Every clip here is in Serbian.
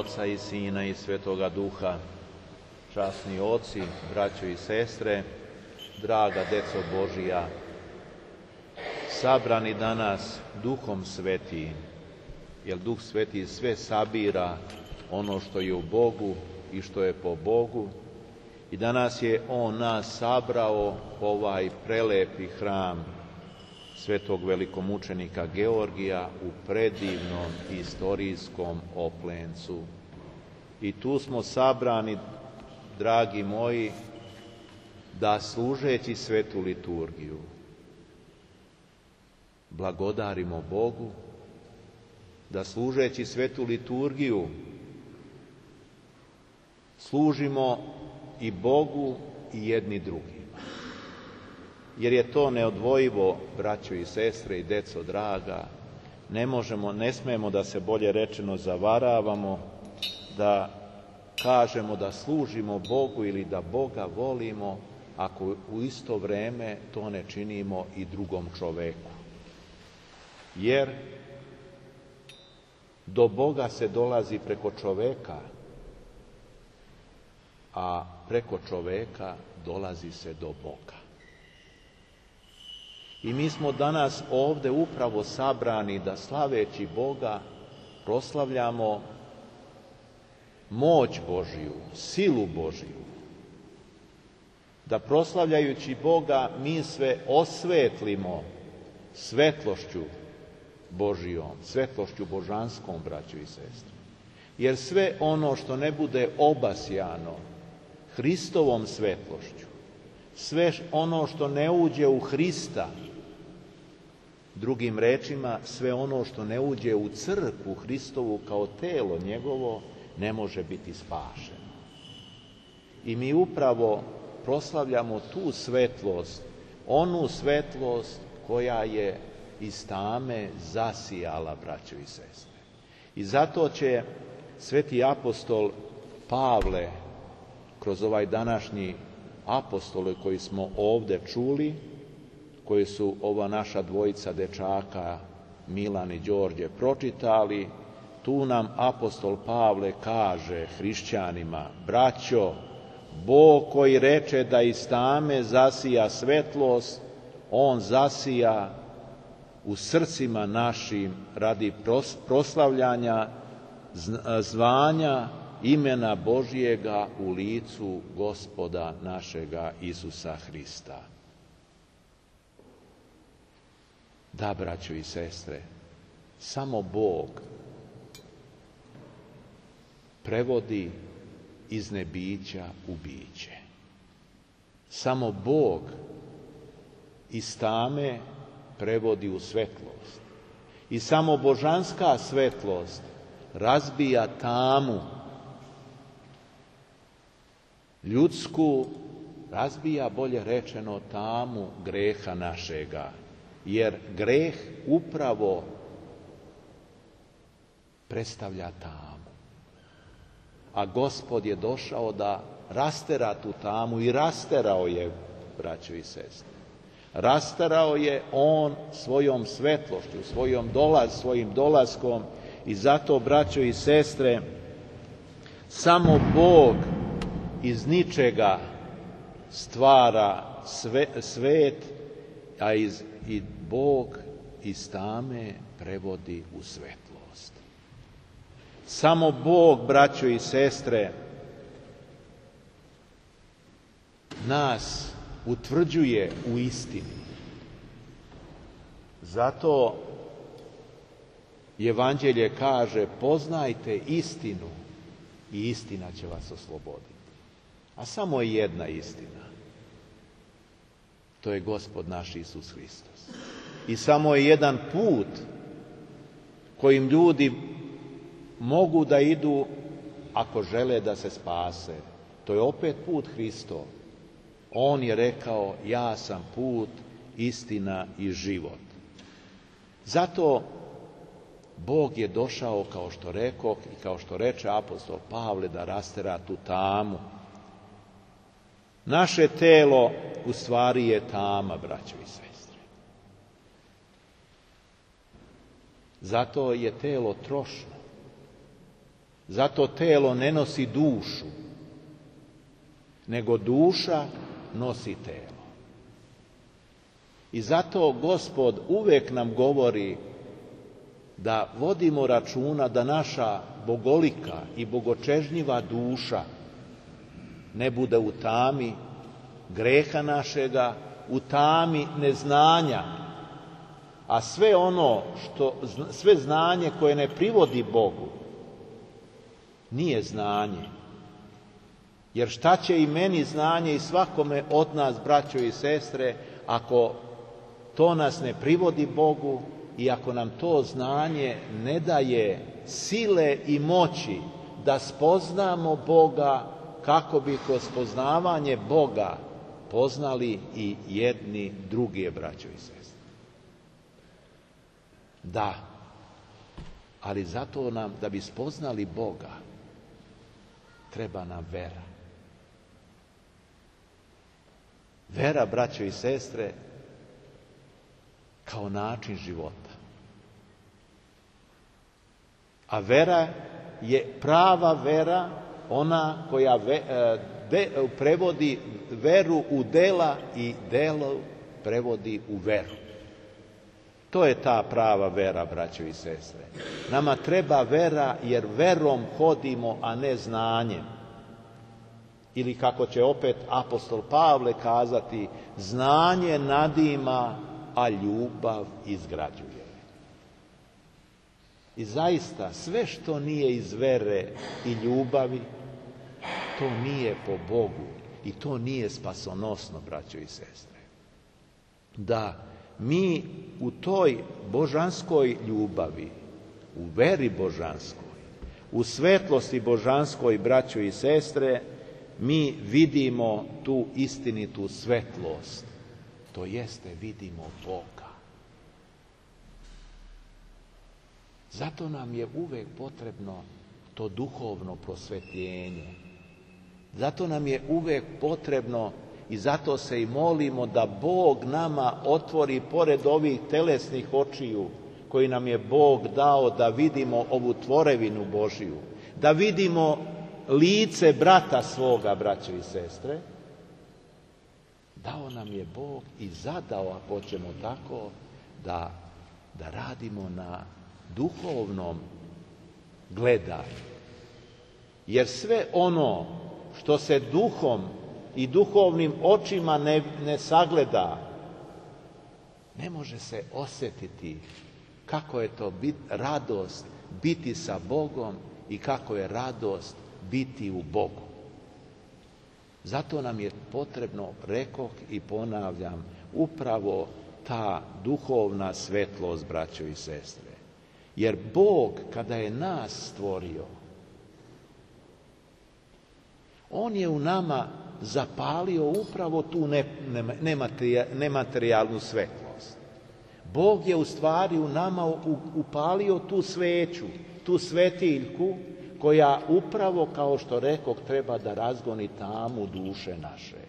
Oca i Sina i Svetoga Duha. Časni oci, braćo i sestre, draga deco Božija, sabrani danas Duhom Svetim, jer Duh Sveti sve sabira ono što je u Bogu i što je po Bogu, i danas je On nas sabrao u ovaj prelepi hram svetog velikomučenika Georgija u predivnom istorijskom Oplencu. I tu smo sabrani, dragi moji, da služeći svetu liturgiju blagodarimo Bogu, da služeći svetu liturgiju služimo i Bogu i jedni drugima. Jer je to neodvojivo, braćo i sestre i deco draga. Ne smemo da se, bolje rečeno, zavaravamo, da kažemo da služimo Bogu ili da Boga volimo, ako u isto vreme to ne činimo i drugom čoveku. Jer do Boga se dolazi preko čoveka, a preko čoveka dolazi se do Boga. I mi smo danas ovde upravo sabrani da, slaveći Boga, proslavljamo moć Božiju, silu Božiju. Da proslavljajući Boga mi sve osvetlimo svetlošću Božijom, svetlošću božanskom, braćo i sestre. Jer sve ono što ne bude obasjano Hristovom svetlošću, sve ono što ne uđe u Hrista, drugim rečima, sve ono što ne uđe u crkvu Hristovu kao telo njegovo, ne može biti spašeno. I mi upravo proslavljamo tu svetlost, onu svetlost koja je iz tame zasijala, braćo i sestre. I zato će sveti apostol Pavle, kroz ovaj današnji apostole koji smo ovde čuli, koji su ova naša dvojica dečaka, Milan i Đorđe, pročitali, tu nam apostol Pavle kaže hrišćanima: braćo, Bog koji reče da iz tame zasija svetlost, On zasija u srcima našim radi proslavljanja zvanja imena Božijega u licu Gospoda našega Isusa Hrista. Da, braćo i sestre, samo Bog prevodi iz nebića u biće. Samo Bog iz tame prevodi u svetlost. I samo božanska svetlost razbija tamu ljudsku, razbija, bolje rečeno, tamu greha našega. Jer greh upravo predstavlja tamu. A Gospod je došao da rastera tu tamu i rasterao je, braćo i sestre. Rasterao je On svojom svetlošću, svojim dolaskom, i zato, braćo i sestre, samo Bog iz ničega stvara svet, a i Bog iz tame prevodi u svetlost. Samo Bog, braćo i sestre, nas utvrđuje u istini. Zato Evanđelje kaže: poznajte istinu i istina će vas osloboditi. A samo je jedna istina. To je Gospod naš Isus Hristos. I samo je jedan put kojim ljudi mogu da idu ako žele da se spase. To je opet put Hristov. On je rekao: ja sam put, istina i život. Zato Bog je došao, kao što rekoh i kao što reče apostol Pavle, da rastera tu tamu. Naše telo u stvari je tama, braćo i sestre. Zato je telo trošno. Zato telo ne nosi dušu, nego duša nosi telo. I zato Gospod uvijek nam govori da vodimo računa da naša bogolika i bogočežnjiva duša ne bude u tami greha našega, u tami neznanja, a sve znanje koje ne privodi Bogu nije znanje. Jer šta će i meni znanje i svakome od nas, braćo i sestre, ako to nas ne privodi Bogu i ako nam to znanje ne daje sile i moći da spoznamo Boga, kako bi kroz poznavanje Boga poznali i jedni druge, braćo i sestre. Da, ali zato nam, da bi spoznali Boga, treba nam vera. Vera, braćo i sestre, kao način života. A vera je prava vera, ona koja prevodi veru u dela i delo prevodi u veru. To je ta prava vera, braćo i sestre. Nama treba vera jer verom hodimo, a ne znanjem. Ili kako će opet apostol Pavle kazati, znanje nadima, a ljubav izgrađuje. I zaista, sve što nije iz vere i ljubavi, to nije po Bogu i to nije spasonosno, braćo i sestre. Da mi u toj božanskoj ljubavi, u veri božanskoj, u svetlosti božanskoj, braćo i sestre, mi vidimo tu istinitu svetlost, to jeste vidimo Boga. Zato nam je uvek potrebno to duhovno prosvetljenje. Zato nam je uvek potrebno i zato se i molimo da Bog nama otvori pored ovih telesnih očiju koji nam je Bog dao da vidimo ovu tvorevinu Božiju, da vidimo lice brata svoga, braćo i sestre. Dao nam je Bog i zadao, ako ćemo tako, da radimo na duhovnom gledanju. Jer sve ono što se duhom i duhovnim očima ne sagleda, ne može se osjetiti kako je to radost biti sa Bogom i kako je radost biti u Bogu. Zato nam je potrebno, rekoh i ponavljam, upravo ta duhovna svetlost, braćo i sestre. Jer Bog, kada je nas stvorio, On je u nama zapalio upravo tu nematerijalnu svetlost. Bog je u stvari u nama upalio tu sveću, tu svetiljku, koja upravo, kao što rekoh, treba da razgoni tamu duše naše.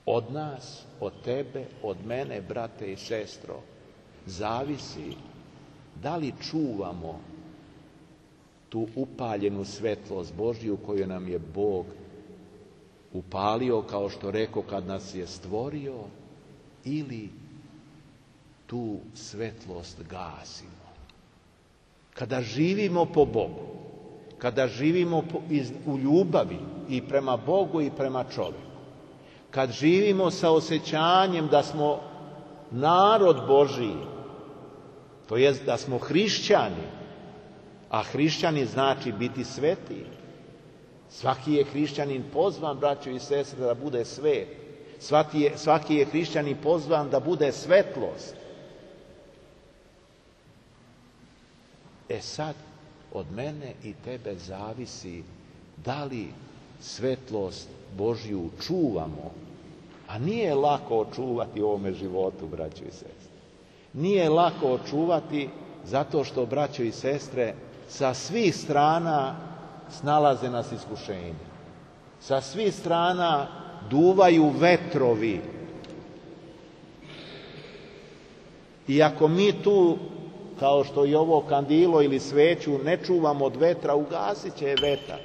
Od nas, od tebe, od mene, brate i sestro, zavisi da li čuvamo tu upaljenu svetlost Božju koju nam je Bog upalio, kao što rekoh, kad nas je stvorio, ili tu svetlost gasimo. Kada živimo po Bogu, kada živimo u ljubavi i prema Bogu i prema čovjeku, kad živimo sa osjećanjem da smo narod Božiji, to jest da smo hrišćani, a hrišćani znači biti sveti. Svaki je hrišćanin pozvan, braćo i sestre, da bude svet. Svaki je hrišćanin pozvan da bude svetlost. E sad, od mene i tebe zavisi da li svetlost Božju čuvamo, a nije lako očuvati u ovome životu, braćo i sestre. Nije lako očuvati zato što, braćo i sestre, sa svih strana snalaze nas iskušenja. Sa svih strana duvaju vetrovi. I ako mi tu kao što i ovo kandilo ili sveću ne čuvamo od vetra, ugasit će je vetar.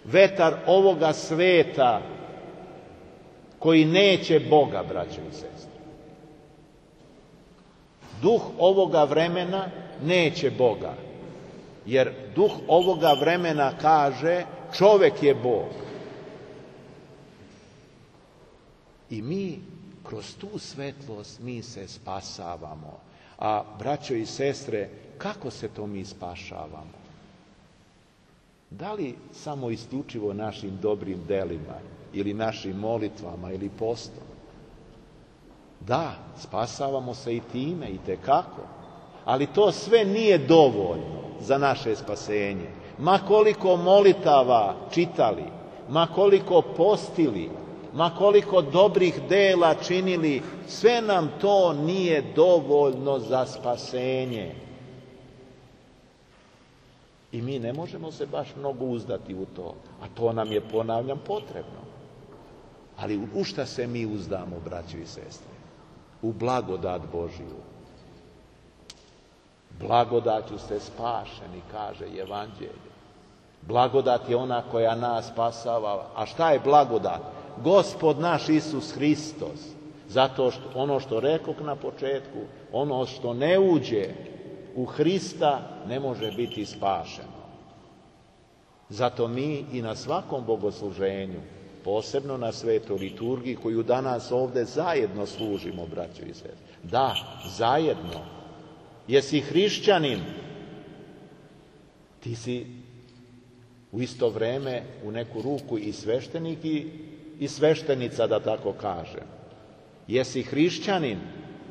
Vetar ovoga sveta koji neće Boga, braćo i sestre. Duh ovoga vremena neće Boga, jer duh ovoga vremena kaže čovek je Bog. I mi kroz tu svetlost mi se spasavamo. A braćo i sestre, kako se to mi spašavamo? Da li samo isključivo našim dobrim delima ili našim molitvama ili postom? Da, spasavamo se i time, i tekako. Ali to sve nije dovoljno za naše spasenje. Ma koliko molitava čitali, ma koliko postili, ma koliko dobrih dela činili, sve nam to nije dovoljno za spasenje. I mi ne možemo se baš mnogo uzdati u to, a to nam je, ponavljam, potrebno. Ali u šta se mi uzdamo, braćo i sestre? U blagodat Božiju. Blagodaću ste spašeni, kaže Evanđelje. Blagodat je ona koja nas spasava. A šta je blagodat? Gospod naš Isus Hristos. Zato što ono što rekoh na početku, ono što ne uđe u Hrista ne može biti spašeno. Zato mi i na svakom bogosluženju, posebno na svetoj liturgiji koju danas ovde zajedno služimo, braćo i sestre. Da, zajedno. Jesi hrišćanin, ti si u isto vreme u neku ruku i sveštenik i sveštenica, da tako kažem. Jesi hrišćanin,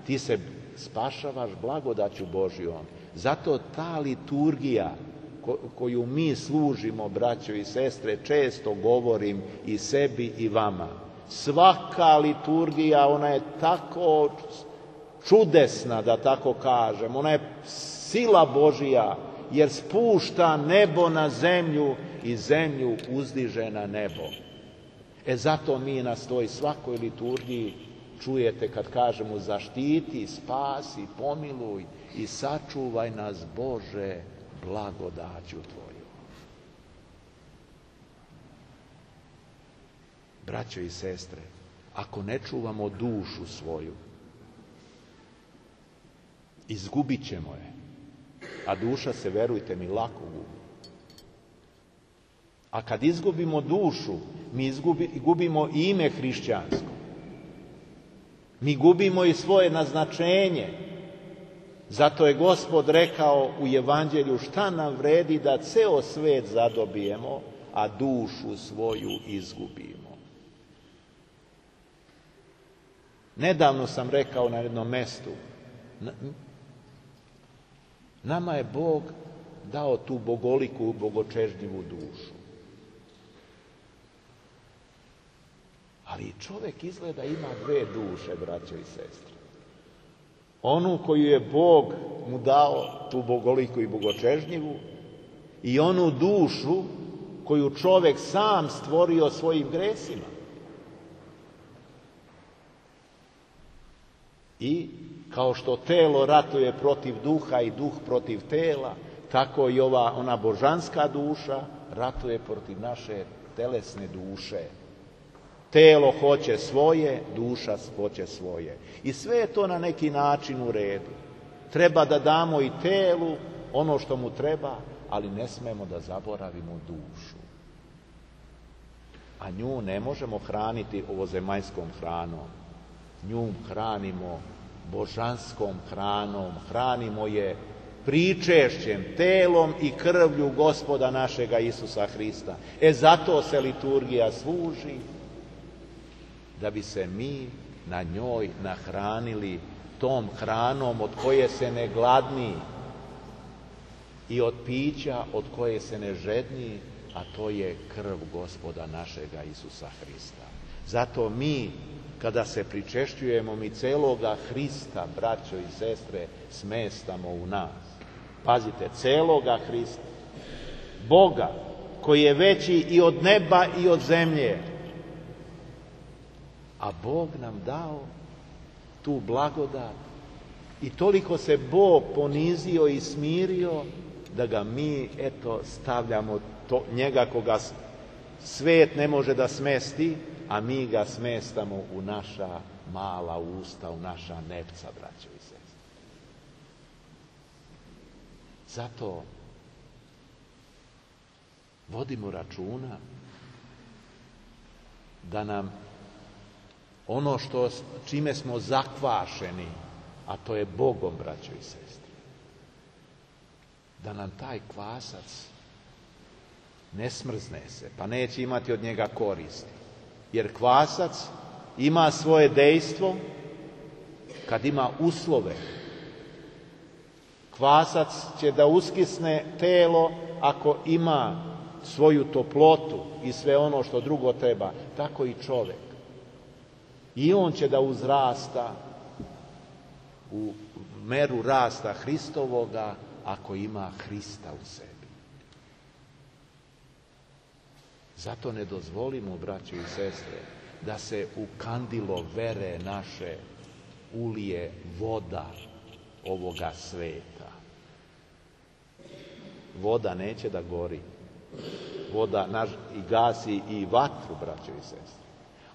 ti se spašavaš blagodaću Božjom. Zato ta liturgija koju mi služimo, braćo i sestre, često govorim i sebi i vama. Svaka liturgija, ona je tako čudesna, da tako kažem. Ona je sila Božja, jer spušta nebo na zemlju i zemlju uzdiže na nebo. Zato mi na toj svakoj liturgiji čujete kad kažemo zaštiti, spasi, pomiluj i sačuvaj nas, Bože, blagodaću Tvoju. Braćo i sestre, ako ne čuvamo dušu svoju, izgubit ćemo je. A duša se, verujte mi, lako gubi. A kad izgubimo dušu, mi gubimo i ime hrišćansko. Mi gubimo i svoje naznačenje. Zato je Gospod rekao u Evanđelju, šta nam vredi da ceo svet zadobijemo, a dušu svoju izgubimo. Nedavno sam rekao na jednom mestu, nama je Bog dao tu bogoliku, bogočežnjivu dušu. Ali čovjek izgleda ima dve duše, braćo i sestre. Onu koju je Bog mu dao, tu bogoliku i bogočežnjivu, i onu dušu koju čovjek sam stvorio svojim gresima. I kao što telo ratuje protiv duha i duh protiv tela, tako i ona božanska duša ratuje protiv naše telesne duše. Telo hoće svoje, duša hoće svoje. I sve je to na neki način u redu. Treba da damo i telu ono što mu treba, ali ne smemo da zaboravimo dušu. A nju ne možemo hraniti ovozemaljskom hranom. Nju hranimo božanskom hranom, hranimo je pričešćem, telom i krvlju Gospoda našega Isusa Hrista. Zato se liturgija služi, da bi se mi na njoj nahranili tom hranom od koje se ne gladni i od pića od koje se ne žedni, a to je krv Gospoda našega Isusa Hrista. Zato mi, kada se pričešćujemo, mi celoga Hrista, braćo i sestre, smestamo u nas. Pazite, celoga Hrista, Boga, koji je veći i od neba i od zemlje. A Bog nam dao tu blagodat I toliko se Bog ponizio i smirio da ga mi, stavljamo njega koga svet ne može da smesti, a mi ga smestamo u naša mala usta, u naša nepca, braćo i sestre. Zato vodimo računa da nam ono čime smo zakvašeni, a to je Bogom, braćo i sestre, da nam taj kvasac ne smrzne se, pa neće imati od njega koristi. Jer kvasac ima svoje dejstvo kad ima uslove. Kvasac će da uskisne telo ako ima svoju toplotu i sve ono što drugo treba. Tako i čovjek. I on će da uzrasta u meru rasta Hristovoga ako ima Hrista u sebi. Zato ne dozvolimo, braćo i sestre, da se u kandilo vere naše ulije voda ovoga sveta. Voda neće da gori. Voda i gasi i vatru, braćo i sestre.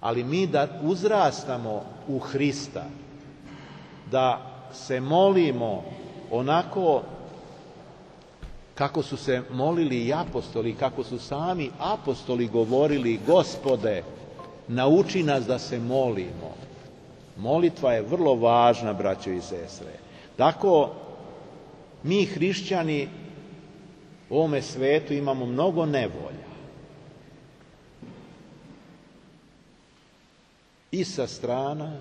Ali mi da uzrastamo u Hrista, da se molimo onako kako su se molili i apostoli, kako su sami apostoli govorili: Gospode, nauči nas da se molimo. Molitva je vrlo važna, braćo i sestre. Tako mi hrišćani u ovome svetu imamo mnogo nevolja. I sa strana,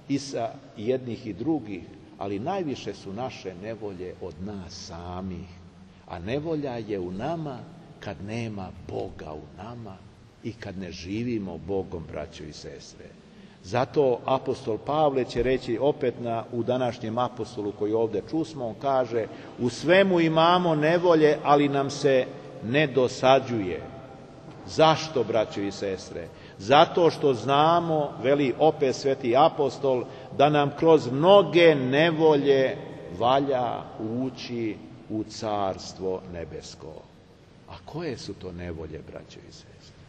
i sa jednih i drugih, ali najviše su naše nevolje od nas samih. A nevolja je u nama kad nema Boga u nama i kad ne živimo Bogom, braćo i sestre. Zato apostol Pavle će reći opet u današnjem apostolu koji ovdje čusmo, on kaže: u svemu imamo nevolje, ali nam se ne dosađuje. Zašto, braćo i sestre? Zato što znamo, veli opet sveti apostol, da nam kroz mnoge nevolje valja ući u carstvo nebesko. A koje su to nevolje, braćo i sestre?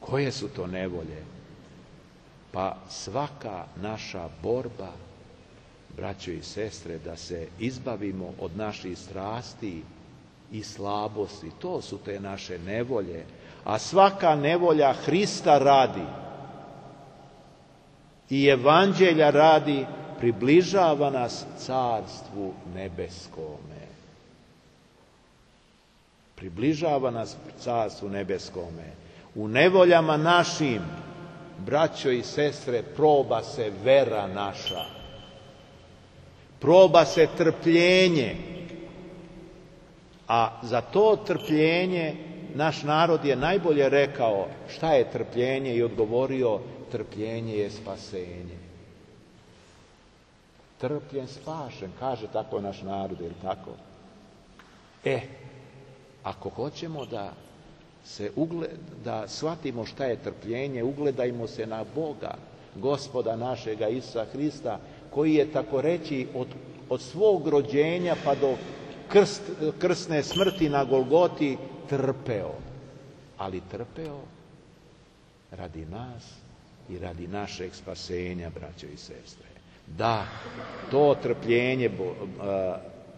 Koje su to nevolje? Pa svaka naša borba, braćo i sestre, da se izbavimo od naših strasti i slabosti, to su te naše nevolje. A svaka nevolja Hrista radi i evanđelja radi, približava nas carstvu nebeskome. Približava nas carstvu nebeskome. U nevoljama našim, braćo i sestre, proba se vera naša. Proba se trpljenje. A za to trpljenje naš narod je najbolje rekao šta je trpljenje i odgovorio: trpljenje je spasenje. Trpljen, spašen, kaže tako naš narod, je li tako? Ako hoćemo da shvatimo šta je trpljenje, ugledajmo se na Boga, Gospoda našega Isusa Hrista, koji je, tako reći, od svog rođenja pa do krsne smrti na Golgoti trpeo. Ali trpeo radi nas i radi našeg spasenja, braćo i sestre. Da, to trpljenje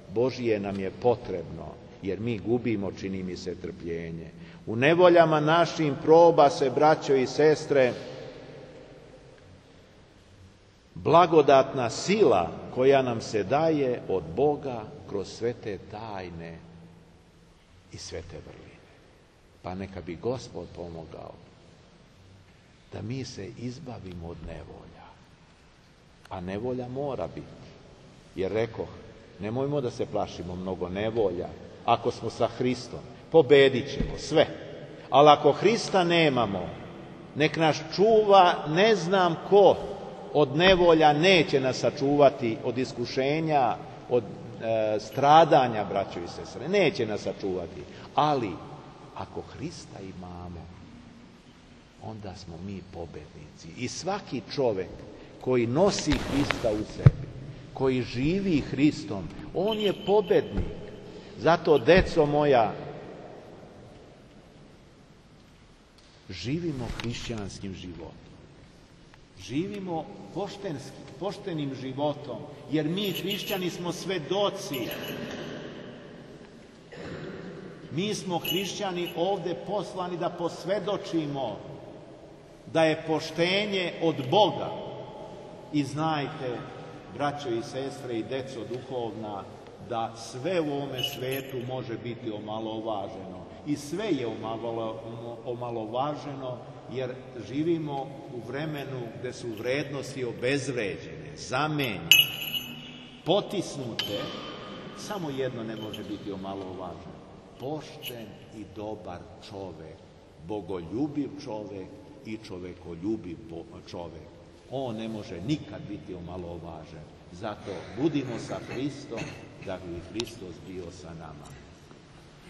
Božije nam je potrebno, jer mi gubimo, čini mi se, trpljenje. U nevoljama našim proba se, braćo i sestre, blagodatna sila koja nam se daje od Boga kroz sve te tajne i sve te vrline. Pa neka bi Gospod pomogao da mi se izbavimo od nevolja. A nevolja mora biti. Jer rekoh, nemojmo da se plašimo mnogo nevolja. Ako smo sa Hristom, pobedit ćemo sve. Ali ako Hrista nemamo, nek nas čuva ne znam ko. Od nevolja neće nas sačuvati, od iskušenja, od stradanja, braćo i sestre. Neće nas sačuvati. Ali ako Hrista imamo, onda smo mi pobednici. I svaki čovjek koji nosi Hrista u sebi, koji živi Hristom, on je pobednik. Zato, deco moja, živimo hrišćanskim životom. Živimo poštenim životom, jer mi hrišćani smo svedoci. Mi smo hrišćani ovde poslani da posvedočimo da je poštenje od Boga. I znajte, braćo i sestre i deco duhovna, da sve u ovome svetu može biti omalovaženo. I sve je omalovaženo, jer živimo u vremenu gde su vrednosti obezvređene, zamenjene, potisnute. Samo jedno ne može biti omalovaženo. Pošten i dobar čovek, bogoljubiv čovek i čovekoljubiv čovek. On ne može nikad biti omalovažen. Zato budimo sa Hristom, da bi Hristos bio sa nama.